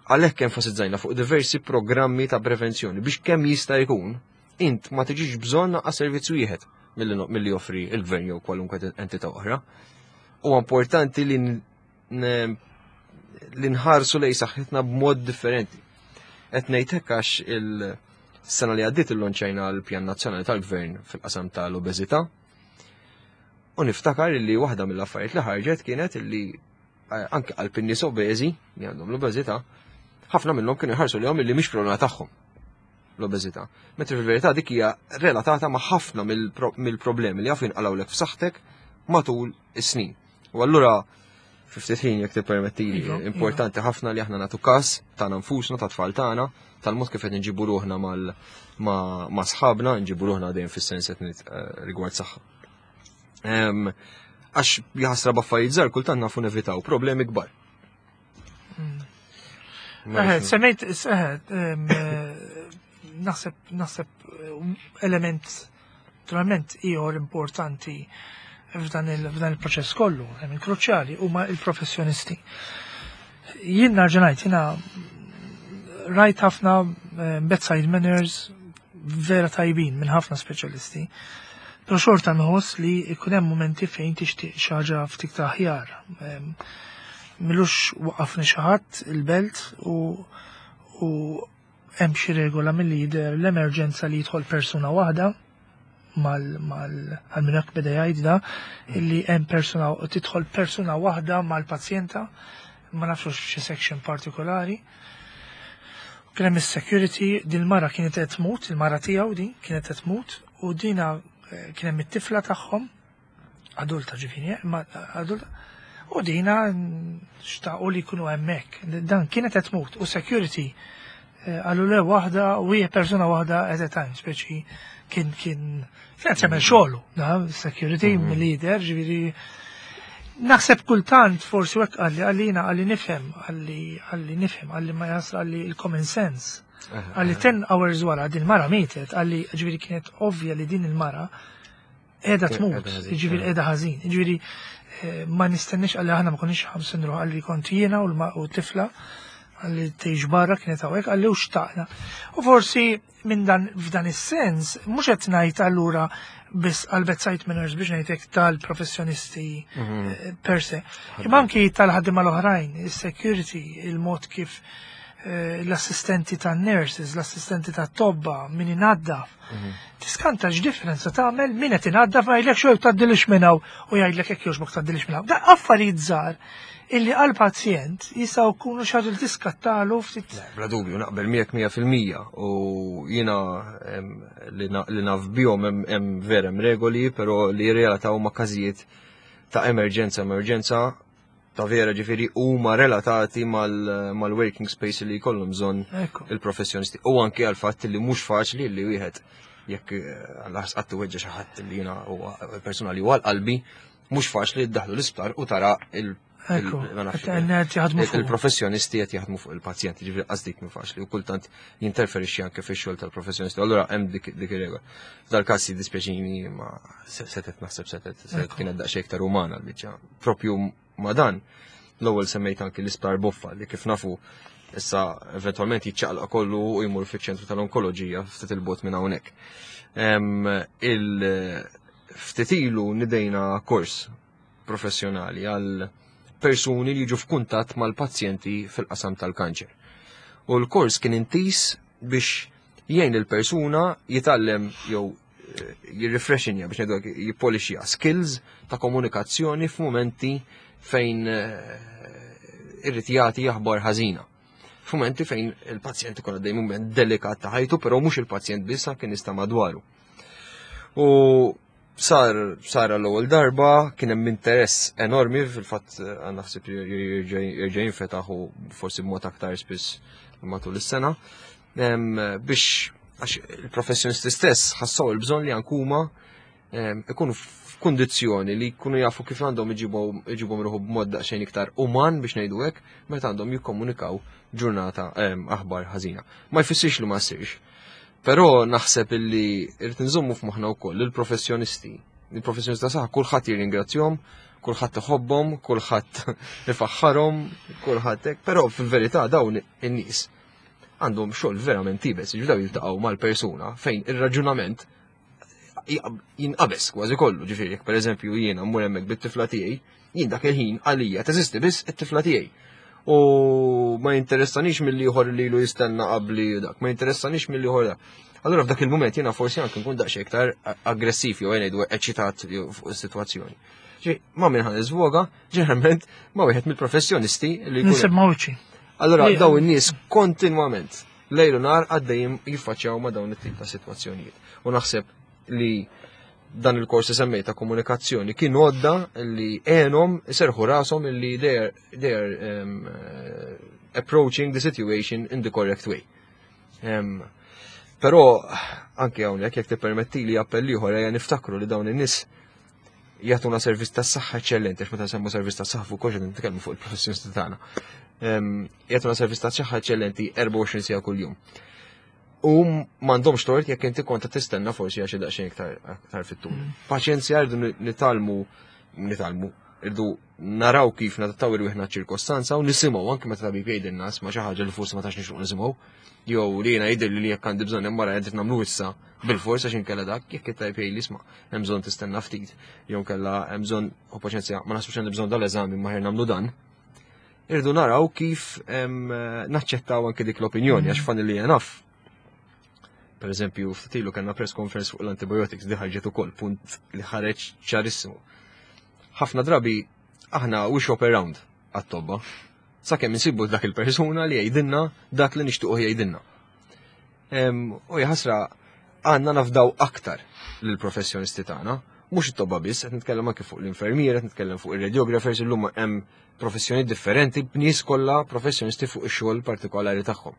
Għalhekk enfasizzajna fuq diversi programmi ta' prevenzjoni biex kemm jista' jkun int ma tiġix bżonn naqas servizz wieħed milli joffri il-gvern jew kwalunkwe entità oħra. Huwa importanti li nħarsu lej saħħitna b'mod differenti. Qed ngħid hekk għax il-sena li għaddiet illonċajna l-Pjan Nazzjonali tal-Gvern fil-qasam tal-obeżità. U niftakar li waħda mill-affarijiet li ħarġet kienet li anke qalb in-nies obeżi li għandhom l-obeżità, ħafna minnhom kienu jħarsu lejhom li mhix problema tagħhom l-obeżità. Mentri fil-verità dik hija relatata ma' ħafna mill-problemi li jafu jinqalgħulek f'saħħtek matul is-snin. U allura fi ftit ħin jekk tippermettili, importanti ħafna li aħna nagħtu każ tagħna nfusna, ta' tfal tagħna, tal-mod kif qed nġibu ruħna ma' sħabna, nġibu ruħna dejjem fis-sens qed rigward saħħa. Għax jaħasra b'affarijiet żgħar kultant nafu nevitaw problemi kbar. Ma nafx. Semmejt, naħseb element naturalment ieħor importanti f'dan il-proċess kollu, element kruċjali, huma il-professjonisti. Jien nerġa' ngħid, jiena rajt ħafna bedside manners vera tajbin minn ħafna speċjalisti. Però xorta nħoss li jkun hemm momenti fejn tixtieq xi ħaġa ftit ta' aħjar. Milux waqafni xi ħadd il-belt u hemm xi regola milli jidher l-emerġenza li jidħol persuna waħda mal għal minn hekk beda jgħid da illi hemm persuna tidħol persuna waħda mal-pazjenta, ma nafx xi section partikolari. Kien hemm is-security, din mara kienet qed tmut, il-mara tiegħu din kienet qed tmut u dina eh, kien hemm it-tifla tagħhom adulta ġifieri, eh, imma adulta u dina xtaqu li jkunu hemmhekk. Dan kienet qed tmut u security eh, qalu le waħda u hija persuna waħda at a time, speċi kien kien kien jagħmel xogħlu, da security leader, ġifieri Naħseb kultant forsi hekk qalli għalina għalli nifhem għalli għalli nifhem għalli ma jasal għalli il-common sense. Għalli 10 hours wara din mara mietet, għalli ġifieri kienet ovvja li din il-mara qiegħda tmut, ġifieri qiegħda ħażin. Ġifieri eh, ma nistenniex għalli aħna ma konniex ħamsin ruħ għalli kont jiena u tifla għalli tgħix barra kienet hawnhekk għalli u xtaqna. U forsi minn dan f'dan is-sens mhux qed ngħid allura biss għal bedside manners biex ngħidlek tal-professjonisti mhm. eh, per se. Imma anki tal-ħaddiema l-oħrajn, is-security, il-mod kif eh, l-assistenti tan-nurses, l-assistenti tat-tobba, min inaddaf. Mhm. Tiskanta x'differenza tagħmel min qed inaddaf ma jgħidlek xogħol tgħaddilix minn hawn u jgħidlek hekk jogħġbok tgħaddilix minn hawn. Da affarijiet żgħar illi għal pazjent jistgħu jkunu xi ħaġa li tiskattalu ftit. Bla dubju naqbel miegħek 100% u jiena li naf bihom hemm vera hemm regoli, però li jirrelataw ma' każijiet ta' emerġenza emerġenza ta' vera ġifieri huma relatati mal-working space li jkollhom bżonn il-professjonisti u anke għal fatt li mhux faċli li wieħed jekk eh, għal qatt weġġa xi ħadd li jiena huwa persuna li huwa qalbi mhux faċli ddaħlu l-isptar u tara il- il-professjonisti qed jaħdmu fuq il-pazjenti, ġifieri qas dik mhu faċli u kultant jinterferixxi anke fix-xogħol tal-professjonisti. Allura hemm dik ir-regola. F'dal-każ jiddispjaċini ma setet naħseb setet setet kienet daqsxejn iktar umana l-biċċa. Propju ma dan l-ewwel semmejt anke l-isptar Boffa li kif nafu issa eventwalment jiċċaqlaq kollu u jmur fiċ-ċentru tal-onkoloġija ftit il-bot minn hawnhekk. Il Ftit ilu nidejna kors professjonali għal persuni li jiġu f'kuntatt mal-pazjenti fil-qasam tal-kanċer. U l-kors kien intis biex jgħin il-persuna jitgħallem jew eh, jirrefreshinja biex ngħidu jippolixja skills ta' komunikazzjoni f'mumenti fejn eh, irrid jagħti aħbar ħażina. F'mumenti fejn il-pazjent ikun għaddej mument delikat ta' ħajtu, però mhux il-pazjent biss kien nista' madwaru. U sar sar l-ewwel darba kien hemm interess enormi fil-fatt eh, naħseb jerġa' jinfetaħ u forsi b'mod aktar spiss matul is-sena biex għax il-professjonisti stess ħassaw il-bżonn li ankuma ikunu f'kundizzjoni li jkunu jafu kif għandhom iġibhom ruħu b'mod daqsxejn iktar uman biex ngħidu hekk meta għandhom jikkomunikaw ġurnata aħbar ħażina. Ma jfissirx li ma ssirx. Però naħseb illi irrid nżommu f'moħħna wkoll il-professjonisti. Il-professjonisti ta' saħħa kulħadd jirringrazzjahom, kulħadd iħobbhom, kulħadd ifaħħarhom, kulħadd hekk, però fil-verità dawn in-nies għandhom xogħol verament tibes, ġifieri jiltaqgħu mal-persuna fejn ir-raġunament jinqabeż kważi kollu, ġifieri jekk pereżempju jiena mmur hemmhekk bit-tifla tiegħi, jien dak il-ħin għalija teżisti biss it-tifla tiegħi. U ma jinteressanix mill ieħor li ilu jistenna qabli dak, ma jinteressanix mill ieħor dak. Allura f'dak il-mument jiena forsi anke nkun daqsxejn iktar aggressiv jew ngħidu eċitat fuq is-sitwazzjoni. Ġi, ma minn ħan iżvoga, ġeneralment ma wieħed mill-professjonisti li jkun. Allura daw in-nies kontinwament lejl u nar għaddejjin jiffaċċjaw ma' dawn it-tip ta' sitwazzjonijiet. U naħseb li dan il-kors li semmejt ta' komunikazzjoni kien għodda li għenhom iserħu rashom li they are, they are um, eh, approaching the situation in the correct way. Um, Però anke hawnhekk jekk tippermetti li appell ieħor ejja niftakru li dawn in-nies jagħtuna servizz tas-saħħa eċċellenti, għax meta nsemmu servizz tas-saħħa fuq kollox nitkellmu fuq il-professjonisti tagħna. Jagħtuna servizz tas-saħħa eċċellenti 24 siegħa kuljum. U m'għandhomx tort jekk inti kont tistenna forsi għax daqsxejn iktar aktar fit-tul. Mm. Paċenzja rridu nitalmu nitalmu irdu naraw kif nadattaw irwieħna ċirkostanza u nisimgħu anke meta tabib jgħidilna ma xi ħaġa li forsi ma tax nixtieq nisimgħu. Jew li jiena jidher li jekk għandi bżonn hemm wara qed nagħmlu issa bil-fors għax inkella dak jekk it-tajb jgħidli isma' hemm bżonn tistenna ftit jew nkella hemm bżonn u paċenzja ma naħsbux għandi bżonn dal-eżami ma ħer nagħmlu dan. Irdu naraw kif naċċettaw anke dik l-opinjoni għax fani li naf. Per eżempju, ftit ilu kellna press conference fuq l-antibiotics di ħarġet ukoll punt li ħareġ ċarissimu. Ħafna drabi aħna we shop around għat-tobba. Sakemm insibu dak il-persuna li jgħidilna dak li nixtiequ jgħidilna. U jaħasra għandna nafdaw aktar lill-professjonisti tagħna, mhux it-tobba biss, qed nitkellem anke fuq l-infermiera, qed nitkellem fuq ir-radiographers, illum hemm professjoni differenti b'nies kollha professjonisti fuq ix-xogħol partikolari tagħhom.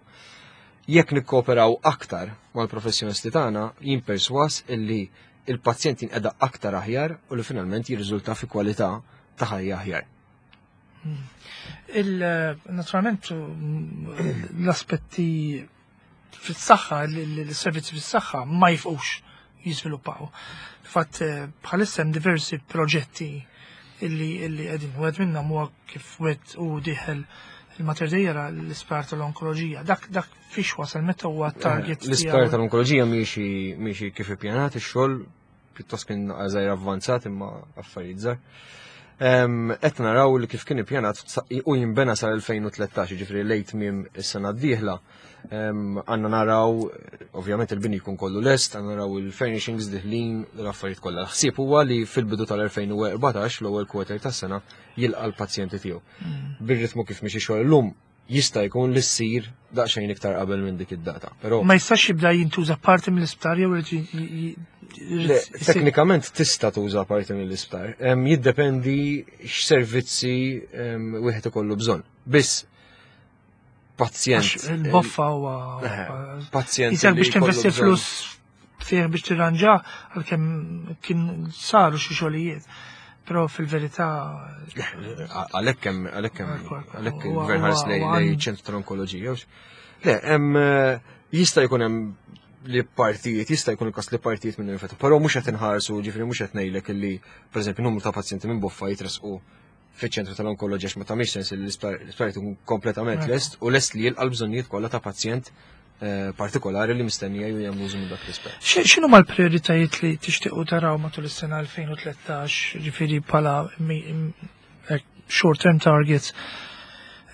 Jekk nikkooperaw aktar mal-professjonisti tagħna, jien perswas illi il-pazjent jinqeda aktar aħjar u li finalment jirriżulta fi kwalità ta' ħajja aħjar. Il-naturalment l-aspetti fis-saħħa, l-servizzi fis-saħħa ma jifqux jiżviluppaw. Fatt eh, bħalissa hemm diversi proġetti illi illi qegħdin wieħed minnhom huwa kif wieħed u dieħel il-Mater Dei jara l-isptar tal-onkoloġija. Dak dak fiex wasal meta huwa target. Eh, l-isptar tal-onkoloġija miexi kif ippjanat ix-xogħol pjuttost kien żgħir avvanzat imma affarijiet żgħar. Qed naraw li kif kien ippjanat u jinbena sal-2013, ġifieri lejt miem is-sena d-dieħla. Għandna naraw, ovvjament il-bini jkun kollu lest, għandna naraw il-furnishings diħlin, l-affarijiet kollha. L-ħsieb huwa li fil-bidu tal-2014, l-ewwel quarter tas-sena, jilqa' l-pazjenti tiegħu. Hmm. Bir-ritmu kif miexi xogħol illum, jista' jkun li ssir daqsxejn iktar qabel minn dik id-data. Però ma jistax jibda jintuża parti mill-isptar jew Teknikament tista' tuża parti mill-isptar. Jiddependi x'servizzi wieħed ikollu bżonn. Biss pazjent. Il-boffa huwa pazjent. Jisek biex tinvesti flus fih biex tirranġa għalkemm kien saru xi xogħlijiet. Però fil-verità. Għalhekk hemm għalhekk hemm għalhekk il-gvern ħares lejn ċentru tal-onkoloġija. Le, hemm eh, jista' jkun hemm li partijiet, jista' jkun il-każ li partijiet minn infettu, però mhux qed inħarsu, ġifieri mhux qed ngħidlek illi pereżempju numru ta' pazjenti minn boffa jitresqu fiċ-ċentru tal-onkoloġija ma tagħmilx sens li l-isptar ikun kompletament lest u lest li jilqa' l-bżonnijiet kollha ta' pazjent eh, partikolari li mistennija ju jagħmlu użu minn dak l-isptar. X'inhu mal-prijoritajiet li tixtiequ taraw matul is-sena 2013, ġifieri bħala eh, short term targets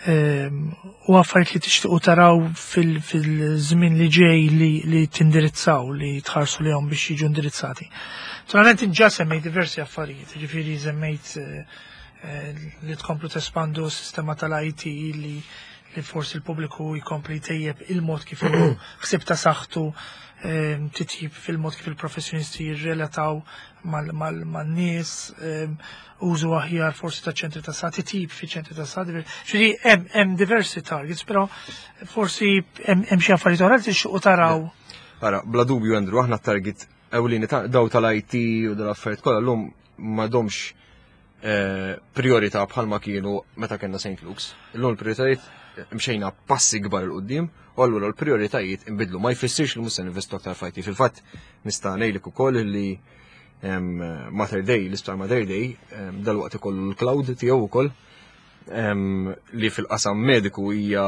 ehm, u affarijiet li tixtiequ taraw fil-żmien li ġej li tindirizzaw li tħarsu lihom biex jiġu indirizzati. Naturalment inġa semmejt diversi affarijiet, ġifieri semmejt eh, li tkomplu tespandu s-sistema tal-IT li li forsi l-pubbliku jkompli jtejjeb il-mod kif hu ħsieb ta' saħħtu ehm, titjib fil-mod kif il-professjonisti jirrelataw man-nies, ehm, użu aħjar forsi ta' ċentri ta' saħħa, titjib fi ċentri ta' saħħa. Ġifieri hemm diversi targets, però forsi hemm xi affarijiet oħra li tixtiequ taraw. Ara, bla dubju Andrew, aħna target ewlieni ta' daw tal-IT u dal-affarijiet kollha llum m'għadhomx eh, priorità bħalma kienu meta kellna St. Luke's. Illum il-prioritajiet eh, mxejna passi kbar il qudiem u allura l-prioritajiet inbidlu. Ma jfissirx li mhux se ninvestu aktar f'IT. Fil-fatt nista' ngħidlek ukoll li Mater Dei, l-isptar Mater Dei, dal-waqt ikollu l-cloud tiegħu ukoll li fil-qasam mediku hija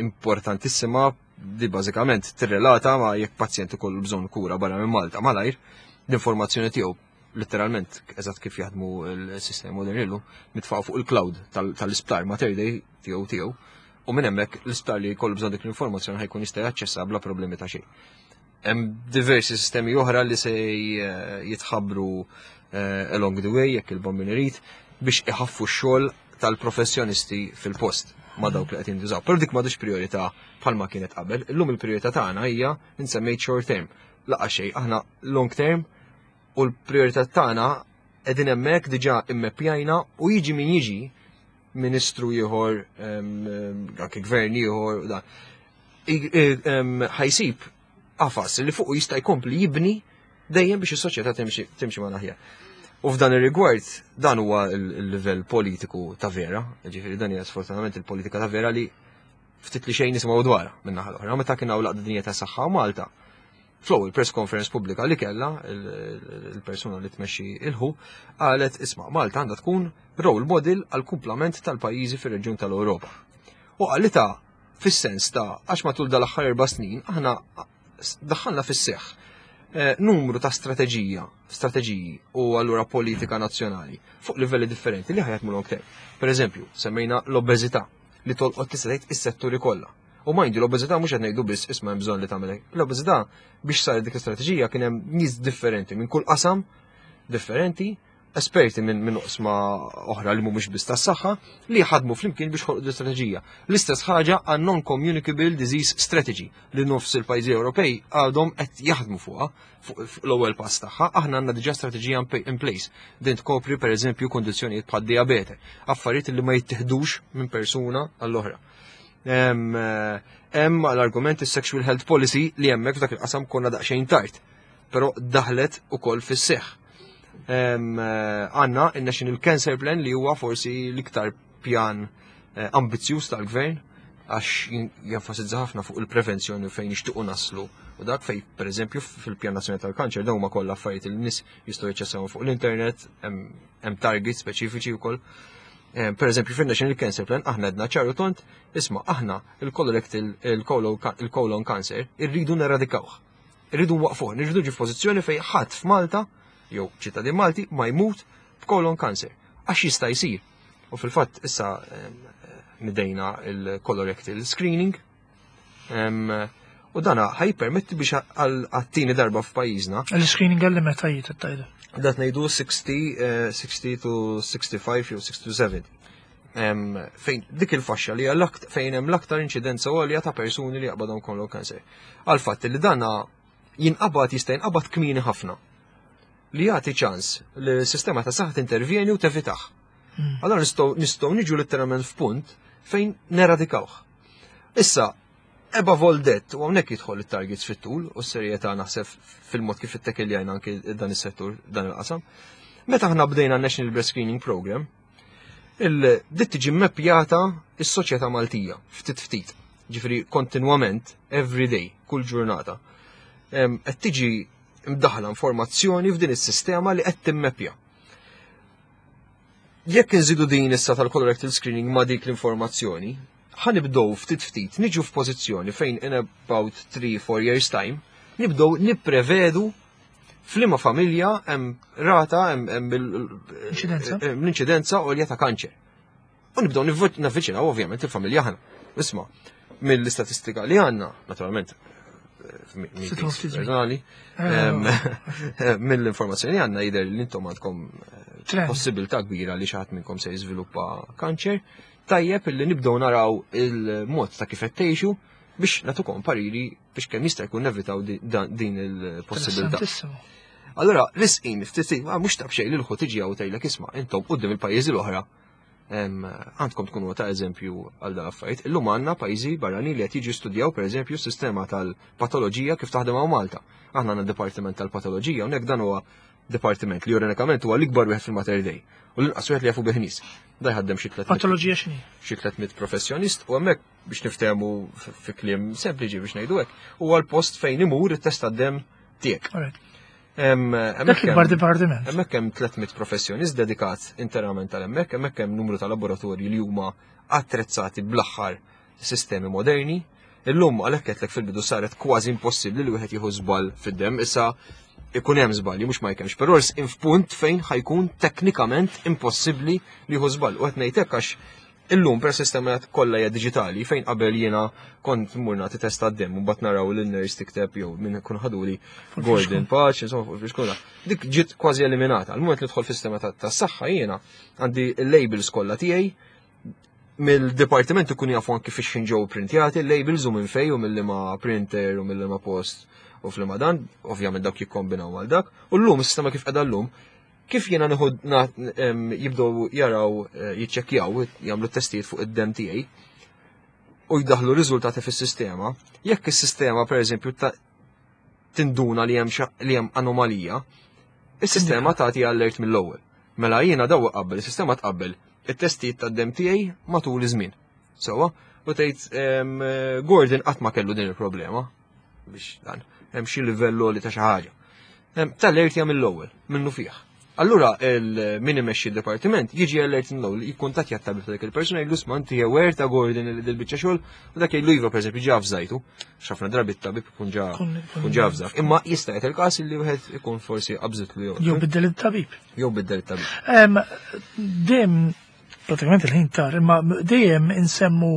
importantissima di bażikament tirrelata ma' jekk pazjent ikollu bżonn kura barra minn Malta malajr, l-informazzjoni tiegħu letteralment eżatt kif jaħdmu l-sistemi moderni illum, mitfaq fuq il-cloud tal-isptar Mater Dei tiegħu tiegħu u minn hemmhekk l-isptar li jkollu bżonn dik l-informazzjoni ħajkun jista' jaċċessa bla problemi ta' xejn. Hemm diversi sistemi oħra li se jitħabbru eh, along the way jekk il-bombin irid biex iħaffu x-xogħol tal-professjonisti fil-post ma' dawk li qed jintużaw. Però dik m'għadux priorità bħalma kienet qabel. Illum il-priorità tagħna hija nsemmejt short term. Laqa xejn, aħna long term u l-priorità tagħna qegħdin hemmhekk diġà immeppjajna u jiġi min jiġi ministru ieħor, anke gvern ieħor, dan. Ħajsib qafas li fuq jista' jkompli jibni dejjem biex is-soċjetà timxi ma' aħjar. U f'dan ir-rigward dan huwa l-livell politiku ta' vera, ġifieri dan hija sfortunatament il-politika ta' vera li ftit li xejn nisimgħu dwarha minn naħa l-oħra. Meta kien hawn laqda dinja ta' saħħa Malta, fl-ewwel press conference pubblika li kellha il-persuna li tmexxi il-ħu qalet isma' Malta għandha tkun role model għal kumplament tal-pajjiżi fir-reġjun tal-Ewropa. U qalitha fis-sens ta' għax matul dal-aħħar erba' snin aħna daħħalna fis-seħħ eh, numru ta' strateġija, strateġiji u allura politika nazzjonali fuq livelli differenti li ħajat long term. Per eżempju, semmejna l-obeżità li tolqot tista' tgħid is-setturi kollha. U majndi l-obeżità mhux qed ngħidu biss isma' hemm bżonn li tagħmel hekk. L-obeżità biex saret dik l-istrateġija kien hemm nies differenti minn kull qasam differenti. esperti minn min oqsma oħra li mhumiex biss tas-saħħa li ħadmu flimkien biex ħolqu l-istrateġija. L-istess ħaġa għan non-communicable disease strategy li nofs il-pajjiżi Ewropej għadhom qed jaħdmu fuqha fuq l-ewwel pass tagħha, aħna għandna diġà strateġija in place. Din tkopri pereżempju kundizzjonijiet bħad diabete, affarijiet li ma jittieħdux minn persuna għall-oħra. Hemm l-argument is-sexual health policy li hemmhekk f'dak il-qasam konna daqsxejn tard, però daħlet ukoll fis-seħħ. Għandna il-National Cancer Plan li huwa forsi l-iktar pjan eh, ambizzjuż tal-gvern għax jenfasizza ħafna fuq il-prevenzjoni fejn nixtiequ naslu u dak fej pereżempju fil-Pjan Nazzjonali tal-Kanċer dawn huma kollha affarijiet li nies jistgħu jaċċessawhom fuq l-internet, hemm targets speċifiċi wkoll. Eh, per eżempju, fin-National Cancer Plan aħna għedna ċaru tont, isma' aħna il-colorectal il-colon cancer irridu neradikawh. Irridu nwaqfuh, nirridu ġi f'pożizzjoni fejn ħadd f'Malta jew ċittadin Malti ma jmut b'colon cancer għax jista' jsir. U fil-fatt issa nidejna il-colorectal screening u dana ħajpermetti biex għal-tieni darba f'pajjiżna. Il-screening għalli meta jiet tajda? Dat ngħidu 60, 60 eh, to 65 jew 60 to 70. Fejn dik il-faxxa li fejn hemm l-aktar inċidenza għolja ta' persuni li jaqbadhom colon cancer. Għal fatt li dana jinqabad jista' jinqabad kmieni ħafna li jagħti ċans li s-sistema ta' saħħa tintervjeni u tevitaħ. Allora nistgħu niġu letteralment f'punt fejn neradikawh. Issa, above all that, u hawnhekk jidħol it-targets fit-tul u s-serjetà naħseb fil-mod kif ittekiljajna anki dan is-settur, dan il-qasam. Meta aħna bdejna National Breast Screening Program, il-dit tiġi mmeppjata is-soċjetà Maltija ftit ftit. Ġifieri kontinwament, every day, kull ġurnata. Qed tiġi mdaħla informazzjoni f'din is-sistema li qed timmeppja. Jekk inżidu din issa tal-colorectal screening ma' dik l-informazzjoni, ħanibdow ftit ftit niġu f'pożizzjoni fejn in about 3-4 years time nibdow nipprevedu f'liema familja hemm rata hemm l-inċidenza għolja ta' kanċer. U nibdew navviċinaw ovvjament il-familja ħana. Isma' mill-istatistika li għandna, naturalment, personali, mill-informazzjoni li għandna jidher li intom għandkom eh, possibilità kbira li xi ħadd minnkom se jiżviluppa kanċer, tajjeb illi nibdew naraw il-mod ta' kif qed tgħixu biex nagħtukom pariri biex kemm jista' jkun nevitaw din il-possibilità. Allora, risqin, ftit, mhux ta' b'xejn li l-ħu tiġi hawn tgħidlek isma' intom quddiem il-pajjiżi l-oħra għandkom tkunu ta' eżempju għal dan affarijiet. Illum għandna pajjiżi barranin li qed jiġu studjaw pereżempju s-sistema tal-patoloġija kif taħdem hawn Malta. Aħna għandna dipartiment tal-patoloġija hawnhekk dan huwa dipartiment li ironikament huwa l-ikbar wieħed fil-Mater Dei u l-inqas wieħed li jafu bih nies. Da jħaddem xi 300 Patoloġija x'inhi? Xi 300 professjonist u hemmhekk biex niftehmu fi kliem sempliċi biex ngħidu hekk, huwa l-post fejn imur it-test tad-demm tiegħek. Dak l-ikbar dipartiment. Hemmhekk hemm 300 professjonist dedikat interament għal hemmhekk, hemmhekk hemm numru ta' laboratorji li huma attrezzati bl-aħħar sistemi moderni. Illum għalhekk qedlek fil-bidu saret kważi impossibbli li wieħed jieħu żball fid-demm. Issa ikun hemm żbalji mhux ma jkemx, però f'punt fejn ħajkun teknikament impossibbli li jieħu żball. U qed ngħid hekk għax Illum per sistema kollha hija diġitali fejn qabel jiena kont mmur nagħti test għad-demm u mbagħad naraw lil nurse tikteb jew min ikun ħaduli Gordon Paċ, insomma fuq il-fixkuna. Dik ġiet kważi eliminata. Al-moment li dħol fis-sistema tas-saħħa jiena għandi l-labels kollha tiegħi mill-dipartiment ikun jafu anki fiex ġew printjati l-labels u minn fej u mill-liema printer u mill-liema post u fl dan, ovvjament dawk jikkombinaw għal dak. U llum is-sistema kif qiegħda llum Kif jiena nieħu jibdew jaraw eh, jiċċekkjaw, jagħmlu testijiet fuq id-dem tiegħi u jdaħlu riżultati fis-sistema, jekk is-sistema pereżempju tinduna li hemm li hemm anomalija, is-sistema tagħti allert mill-ewwel. Mela jiena daw qabel, is-sistema tqabbel it-testijiet tad-dem tiegħi matul iż-żmien. Sewwa, u tgħid Gordon qatt ma kellu din il-problema. biex dan hemm xi livell li ta' xi ħaġa. Tal-alert jagħmel l-ewwel minnu fih. Allura min imexxi d-dipartiment jiġi alert mill-ewwel jikkuntattja t-tabib ta' dik il-persuna jgħidlu sma inti aware ta' Gordon li dil-biċċa xogħol u dak jgħidlu iva pereżempju ġa fżajtu. X'ħafna drabi t-tabib ikun ġa ikun ġa fżak. Imma jista' jgħid il-każ li wieħed ikun forsi qabżitlu jew. Jew biddel it-tabib. Jew biddel it-tabib. Dejjem pratikament il-ħin tar, imma dejjem insemmu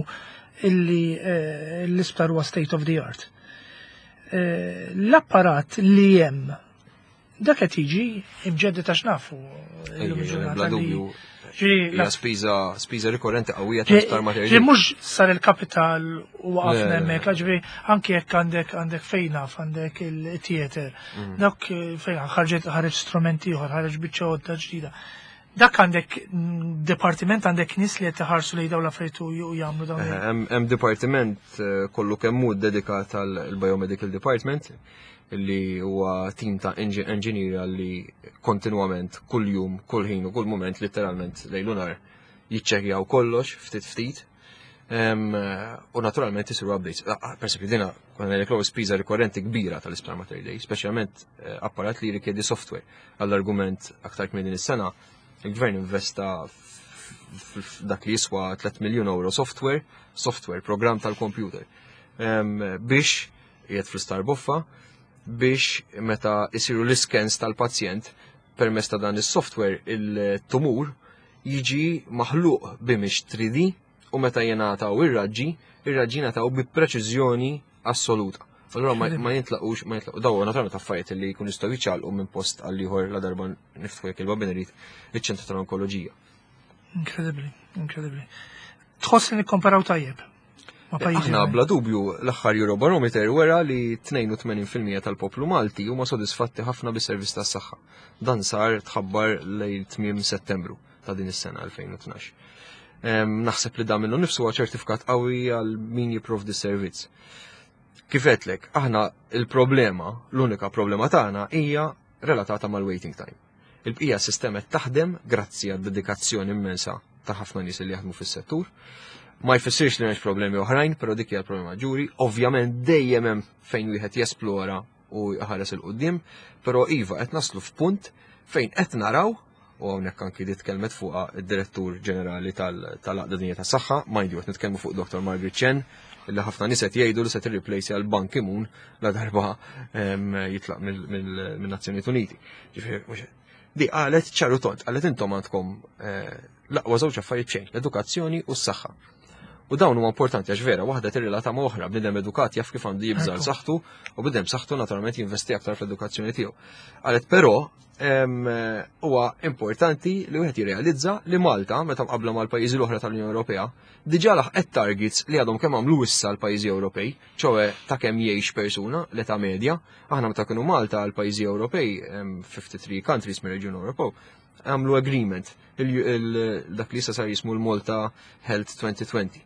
illi eh, l-isptar huwa state of the art. Eh, l-apparat li hemm Dak qed jiġi imġeddi ta' x'nafu illum il-ġurnata li Hija spiża spiża rikorrenti qawwija ta' Star Mater. Ġi mhux sar il-kapital u waqafna hemmhekk, ġifieri anke jekk għandek għandek fejn naf għandek il-theater. Dak fejn ħarġet ħareġ strumenti ieħor, ħareġ biċċa għodda ġdida. Dak għandek dipartiment għandek nies li qed iħarsu lejn dawn l-affarijiet u jagħmlu dawn. Hemm dipartiment kollu kemm hu dedikat għall biomedical department li huwa tim ta' engineer li kontinwament kull jum, kull ħin u kull moment literalment lejl u nhar jiċċekkjaw kollox ftit ftit. U naturalment isiru updates. Per esempio, dina konna l spiża rikorrenti kbira tal-Isptar Mater Dei, speċjalment apparat li jirrikjedi software. Għall-argument aktar kmieni din is-sena, il-gvern investa f'dak li jiswa 3 miljun euro software, software, program tal-computer, biex qiegħed fl-Isptar Boffa, biex meta isiru l-iskens tal-pazjent permezz ta' dan is-software il-tumur jiġi maħluq b'image 3D u meta jingħataw ir-raġġi, ir-raġġi jingħataw bi preċiżjoni assoluta. Allura ma jintlaqux, ma jintlaqu daw naturalment affarijiet li jkunu jistgħu jiċċaqlqu minn post għal ieħor la darba niftħu jekk il-babin irid iċ-ċentru tal-onkoloġija. Inkredibbli, inkredibbli. Tħoss li nikkomparaw tajjeb ma' pajjiżi Aħna bla dubju l-aħħar Eurobarometer wera li 82% tal-poplu Malti huma sodisfatti ħafna bis-servizz tas-saħħa. Dan sar tħabbar lejn tmiem Settembru ta' din is-sena 2012. Naħseb li dan minnu nifsu huwa ċertifikat qawwi għal min jipprovdi s-servizz. Kif għedtlek, aħna il-problema, l-unika problema tagħna hija relatata mal-waiting time. Il-bqija s-sistema qed taħdem grazzi għad dedikazzjoni immensa ta' ħafna nies li jaħdmu fis-settur. Ma jfissirx li m'hemmx problemi oħrajn, però dik hija l-problema maġġuri. Ovvjament dejjem hemm fejn wieħed jesplora u jħares 'il quddiem, però iva qed naslu f'punt fejn qed naraw, u hawnhekk anki di tkellmet fuqha id-Direttur Ġenerali tal-Għaqda Dinja tas-Saħħa, mind you qed nitkellmu fuq Dr. Margaret Chen, li ħafna nies qed jgħidu li se tirreplace għal Ban Ki-moon la darba jitlaq mill-Nazzjonijiet Uniti. Ġifieri, mhux di qalet ċaru tont, qalet intom għandkom l-aqwa żewġ affarijiet xejn, l-edukazzjoni u s-saħħa. U dawn huma importanti għax vera, waħda tirrelata ma' oħra, bniedem edukat jaf kif għandu jibża' saħħtu u bniedem saħħtu naturalment jinvesti aktar fl-edukazzjoni tiegħu. Qalet però huwa importanti li wieħed jirrealizza li Malta, meta mqabbla mal-pajjiżi l-oħra tal-Unjoni Ewropea, diġà laħqet targets li għadhom kemm għamlu issa l-pajjiżi Ewropej, ċoe ta' kemm jgħix persuna l-età medja. Aħna meta kienu Malta l-pajjiżi Ewropej, 53 countries mir-Reġjun Ewropew, għamlu agreement dak li issa sar jismu l-Malta Health 2020.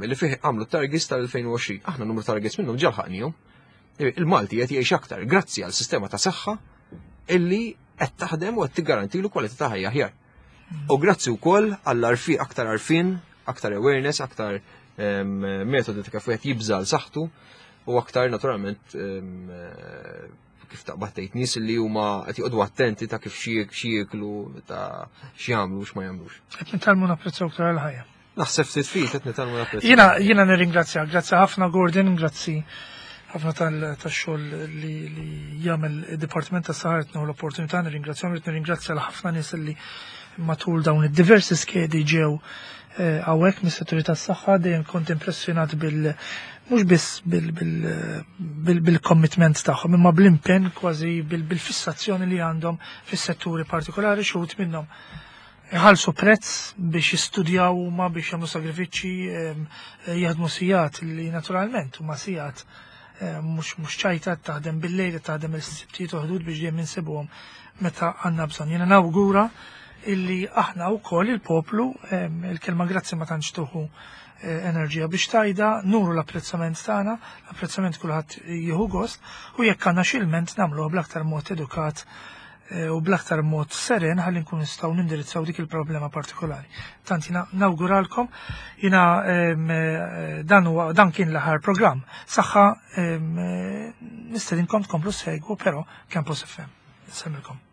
Li fih għamlu targets tal-2020. Aħna numru targets minnhom ġa lħaqnihom. Il-Malti qed jgħix aktar grazzi għal sistema ta' saħħa illi qed taħdem u qed tiggarantilu kwalità ta' ħajja aħjar. U grazzi wkoll għall-arfi aktar arfin, aktar awareness, aktar metodi ta' kif wieħed jibża' l saħħtu u aktar naturalment kif taqbad tgħid nies li huma qed joqogħdu attenti ta' kif xi jieklu, ta' x'jagħmlu u x'ma jagħmlux. Qed nitgħallmu napprezzaw aktar il-ħajja. Naħseb ftit ftit qed nitgħallmu napprezzaw. Jiena nirringrazzja, grazzi ħafna Gordon, grazzi ħafna tax-xogħol li jagħmel id-Dipartiment tas-Saħħa qed l-opportunità nirringrazzjahom, rrid nirringrazzja l ħafna nies li matul dawn id-diversi skedi ġew hawnhekk mis-setturi tas-saħħa. Dejjem kont impressjonat bil mhux biss bil-commitment tagħhom imma bl-impenn, kważi bil-fissazzjoni li għandhom fis-setturi partikolari. Xi wħud minnhom iħallsu prezz biex jistudjaw huma, biex jagħmlu sagrifiċċji, jaħdmu sigħat li naturalment huma sigħat mhux ċajta, taħdem bil-lejl, taħdem il-sibtijiet u ħdud biex dejjem insibuhom meta għandna bżonn. Jiena nawgura illi aħna wkoll il-poplu, il-kelma grazzi ma tantx tuħu enerġija biex tajda, nuru l-apprezzament tagħna, l-apprezzament kulħadd jieħu gost, u jekk għandna xi ilment nagħmluha bl-aktar mod edukat u bl-aktar mod seren ħalli nkun nistgħu nindirizzaw dik il-problema partikolari. Tant jiena nawguralkom, jiena dan huwa dan kien l-aħħar programm. Saħħa, nistedinkom tkomplu segwu però Campus FM. Nsellmilkom.